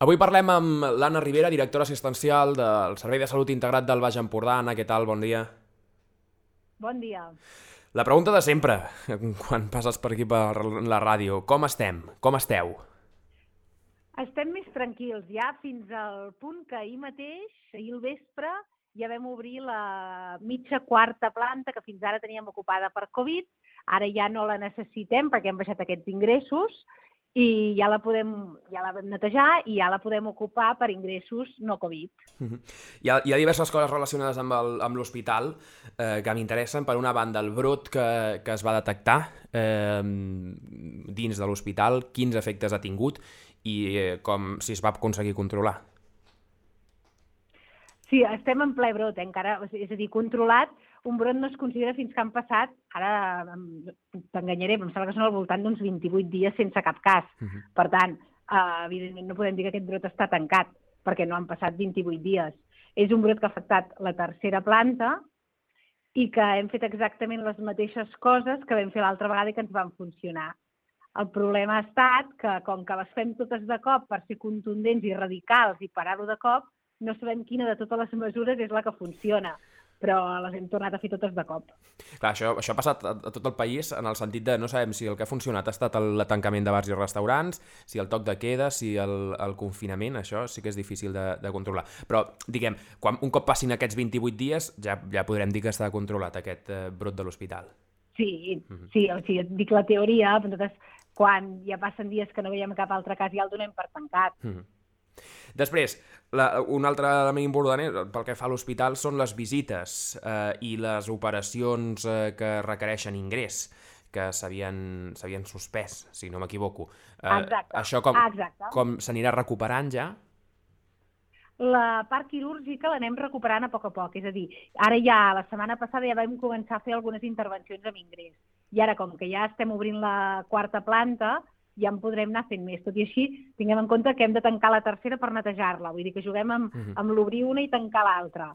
Avui parlem amb l'Anna Ribera, directora assistencial del Servei de Salut Integrat del Baix Empordà. Anna, què tal? Bon dia. Bon dia. La pregunta de sempre, quan passes per aquí per la ràdio. Com estem? Com esteu? Estem més tranquils ja fins al punt que ahir mateix, ahir al vespre, ja vam obrir la mitja quarta planta que fins ara teníem ocupada per Covid. Ara ja no la necessitem perquè hem baixat aquests ingressos i ja la vam netejar i ja la podem ocupar per ingressos no Covid. Hi ha diverses coses relacionades amb l'hospital que m'interessen. Per una banda, el brot que es va detectar dins de l'hospital, quins efectes ha tingut i com si es va aconseguir controlar. Sí, estem en ple brot, encara, és a dir, controlat. Un brot no es considera fins que han passat, ara t'enganyaré, però em sembla que són al voltant d'uns 28 dies sense cap cas. Per tant, evidentment no podem dir que aquest brot està tancat, perquè no han passat 28 dies. És un brot que ha afectat la tercera planta i que hem fet exactament les mateixes coses que vam fer l'altra vegada i que ens van funcionar. El problema ha estat que, com que les fem totes de cop per ser contundents i radicals i parar-ho de cop, no sabem quina de totes les mesures és la que funciona, però les hem tornat a fer totes de cop. Clar, això ha passat a tot el país en el sentit de no sabem si el que ha funcionat ha estat el tancament de bars i restaurants, si el toc de queda, si el confinament, això sí que és difícil de controlar. Però, diguem, un cop passin aquests 28 dies ja podrem dir que està controlat aquest brot de l'hospital. Sí, o sigui, et dic la teoria, però nosaltres quan ja passen dies que no veiem cap altre cas ja el donem per tancat. Després, un altre element important pel que fa a l'hospital són les visites i les operacions que requereixen ingrés, que s'havien suspès, si no m'equivoco. Exacte. Això com s'anirà recuperant ja? La part quirúrgica l'anem recuperant a poc. És a dir, ara ja, la setmana passada ja vam començar a fer algunes intervencions amb ingrés. I ara, com que ja estem obrint la quarta planta, ja en podrem anar fent més. Tot i així, tinguem en compte que hem de tancar la tercera per netejar-la. Vull dir que juguem amb l'obrir una i tancar l'altra.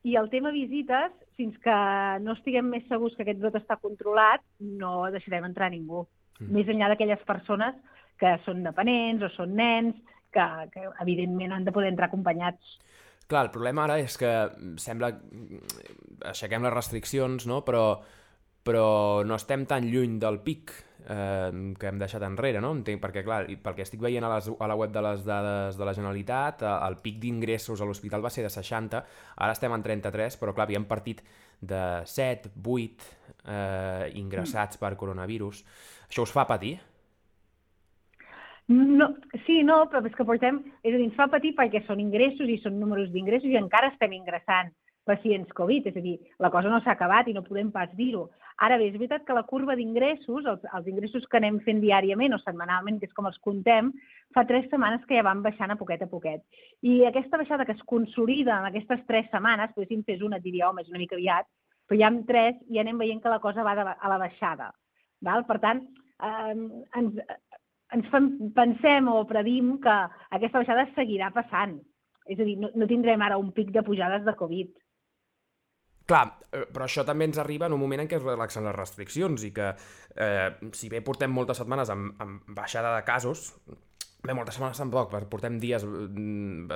I el tema visites, fins que no estiguem més segurs que aquest brot està controlat, no deixarem entrar ningú. Més enllà d'aquelles persones que són dependents o són nens, que evidentment han de poder entrar acompanyats. Clar, el problema ara és que sembla aixequem les restriccions, no? Però no estem tan lluny del pic que hem deixat enrere, no? Perquè, clar, pel que estic veient a la web de les dades de la Generalitat, el pic d'ingressos a l'hospital va ser de 60, ara estem en 33, però, clar, havíem partit de 7, 8 ingressats per coronavirus. Això us fa patir? No, sí, no, però és que portem... És a dir, ens fa patir perquè són ingressos i són números d'ingressos i encara estem ingressant pacients Covid, és a dir, la cosa no s'ha acabat i no podem pas dir-ho. Ara bé, és veritat que la curva d'ingressos, els ingressos que anem fent diàriament o setmanalment, que és com els contem, fa 3 setmanes que ja van baixant a poquet. I aquesta baixada que es consolida en aquestes 3 setmanes, potser si en fes una et diria, home, és una mica aviat, però ja amb 3 ja anem veient que la cosa va a la baixada. Per tant, pensem o predim que aquesta baixada seguirà passant. És a dir, no tindrem ara un pic de pujades de Covid. Clar, però això també ens arriba en un moment en què es relaxen les restriccions i que, si bé portem moltes setmanes amb baixada de casos, moltes setmanes tampoc, portem dies,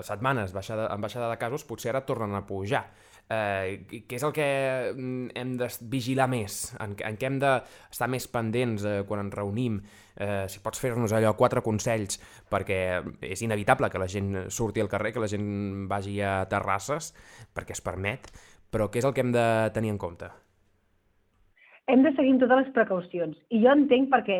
setmanes amb baixada de casos, potser ara tornen a pujar. Què és el que hem de vigilar més? En què hem d'estar més pendents quan ens reunim? Si pots fer-nos allò 4 consells, perquè és inevitable que la gent surti al carrer, que la gent vagi a terrasses, perquè es permet, però què és el que hem de tenir en compte? Hem de seguir totes les precaucions. I jo entenc perquè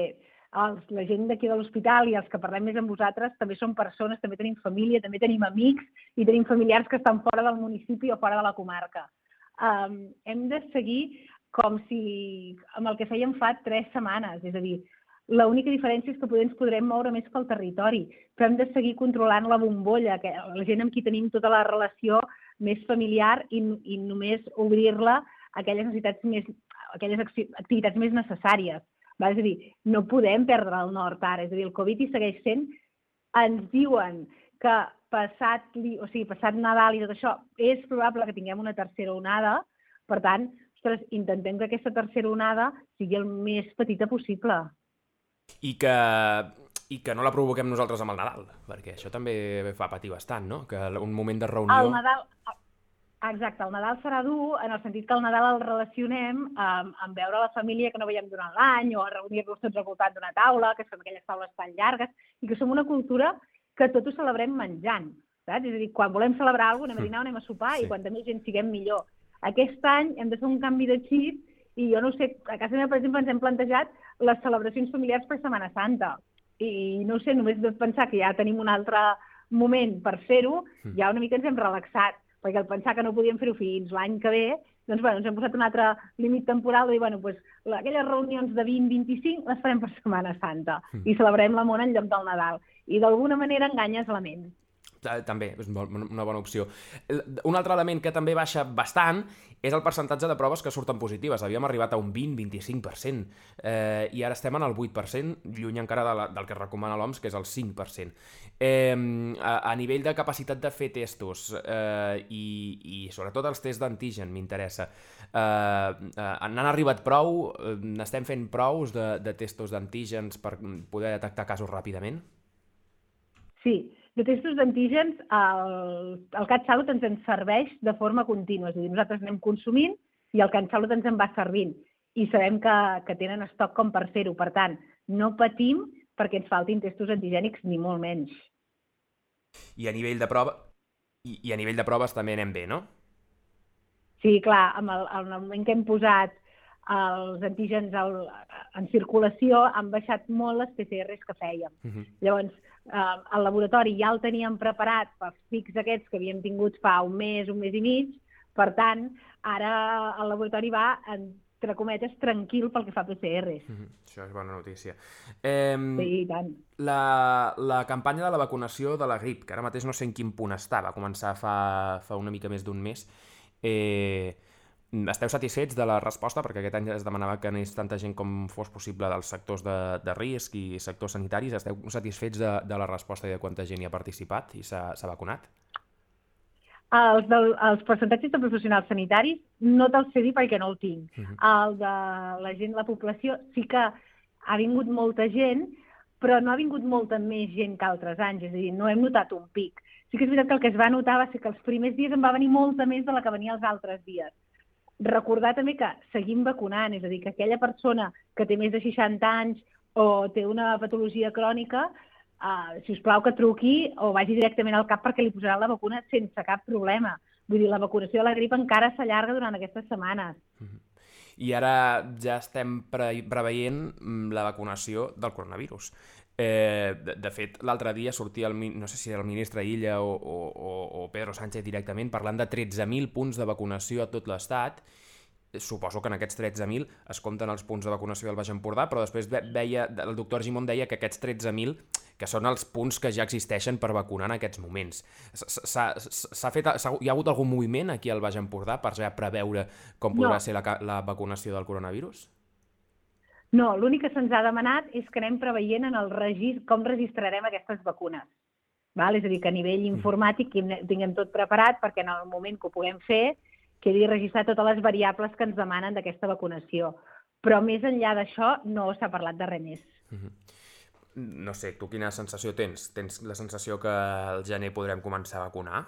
la gent d'aquí de l'hospital i els que parlem més amb vosaltres també són persones, també tenim família, també tenim amics i tenim familiars que estan fora del municipi o fora de la comarca. Hem de seguir com si amb el que fèiem fa 3 setmanes, és a dir, l'única diferència és que ens podrem moure més pel territori, però hem de seguir controlant la bombolla, la gent amb qui tenim tota la relació més familiar i només obrir-la a aquelles activitats més necessàries. És a dir, no podem perdre el nord ara, és a dir, el Covid hi segueix sent. Ens diuen que passat Nadal i tot això és probable que tinguem una tercera onada, per tant, intentem que aquesta tercera onada sigui el més petita possible. I que I que no la provoquem nosaltres amb el Nadal, perquè això també fa patir bastant, no? Que un moment de El reunió... Nadal, exacte, el Nadal serà dur en el sentit que el Nadal el relacionem amb veure la família que no veiem durant l'any o a reunir-nos tots al voltant d'una taula, que fem aquelles taules tan llargues, i que som una cultura que tot ho celebrem menjant, saps? És a dir, quan volem celebrar alguna cosa, anem a dinar o anem a sopar, i quanta més gent siguem millor. Aquest any hem de fer un canvi de xip i jo no sé, a casa meva, per exemple, ens hem plantejat les celebracions familiars per Setmana Santa. I no sé, només de pensar que ja tenim un altre moment per fer-ho, ja una mica ens hem relaxat, perquè al pensar que no podíem fer-ho fins l'any que ve, doncs ens hem posat un altre límit temporal de dir, aquelles reunions de 20-25 les farem per Setmana Santa i celebrem la mona en lloc del Nadal. I d'alguna manera enganyes la ment. També, és una bona opció. Un altre element que també baixa bastant és el percentatge de proves que surten positives. Havíem arribat a un 20-25%, i ara estem en el 8%, lluny encara del que recomana l'OMS, que és el 5%. A nivell de capacitat de fer testos i sobretot els tests d'antigen, m'interessa, n'han arribat prou? N'estem fent prous de testos d'antígens per poder detectar casos ràpidament? Sí, de testos d'antígens, el CatSalut ens en serveix de forma contínua. És a dir, nosaltres anem consumint i el CatSalut ens en va servint. I sabem que tenen estoc com per fer-ho. Per tant, no patim perquè ens faltin testos antigènics, ni molt menys. I a nivell de proves també anem bé, no? Sí, clar, en el moment que hem posat els antígens en circulació han baixat molt les PCRs que fèiem. Llavors, el laboratori ja el teníem preparat pels pics aquests que havíem tingut fa un mes i mig, per tant, ara el laboratori va, entre cometes, tranquil pel que fa a PCRs. Això és bona notícia. Sí, i tant. La campanya de la vacunació de la grip, que ara mateix no sé en quin punt està, va començar fa una mica més d'un mes. Esteu satisfets de la resposta? Perquè aquest any es demanava que anés tanta gent com fos possible dels sectors de risc i sectors sanitaris. Esteu satisfets de la resposta i de quanta gent hi ha participat i s'ha vacunat? Els percentatges de professionals sanitaris no te'ls sé dir perquè no el tinc. El de la gent, la població, sí que ha vingut molta gent, però no ha vingut molta més gent que altres anys. És a dir, no hem notat un pic. Sí que és veritat que el que es va notar va ser que els primers dies en va venir molta més de la que venia els altres dies. Recordar també que seguim vacunant, és a dir, que aquella persona que té més de 60 anys o té una patologia crònica, si us plau que truqui o vagi directament al CAP perquè li posaran la vacuna sense cap problema. Vull dir, la vacunació de la grip encara s'allarga durant aquestes setmanes. I ara ja estem preveient la vacunació del coronavirus. De fet, l'altre dia sortia, no sé si era el ministre Illa o Pedro Sánchez directament, parlant de 13.000 punts de vacunació a tot l'Estat. Suposo que en aquests 13.000 es compten els punts de vacunació del Baix Empordà, però després el doctor Argimon deia que aquests 13.000 que són els punts que ja existeixen per vacunar en aquests moments. Hi ha hagut algun moviment aquí al Baix Empordà per ja preveure com podrà ser la vacunació del coronavirus? No, l'únic que se'ns ha demanat és que anem preveient en el com registrarem aquestes vacunes. És a dir, que a nivell informàtic tinguem tot preparat perquè en el moment que ho puguem fer quedi registrat totes les variables que ens demanen d'aquesta vacunació. Però més enllà d'això no s'ha parlat de res més. No sé, tu quina sensació tens? Tens la sensació que al gener podrem començar a vacunar?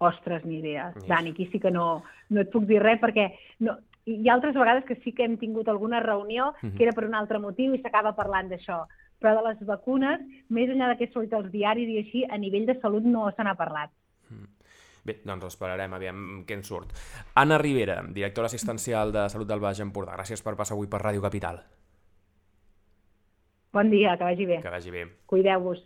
Ostres, ni idea. Dani, aquí sí que no et puc dir res perquè hi ha altres vegades que sí que hem tingut alguna reunió que era per un altre motiu i s'acaba parlant d'això. Però de les vacunes, més enllà que he sortit als diaris i així, a nivell de salut no se n'ha parlat. Bé, doncs esperarem, aviam què en surt. Anna Rivera, directora assistencial de Salut del Baix Empordà. Gràcies per passar avui per Ràdio Capital. Bon dia, que vagi bé. Que vagi bé. Cuideu-vos.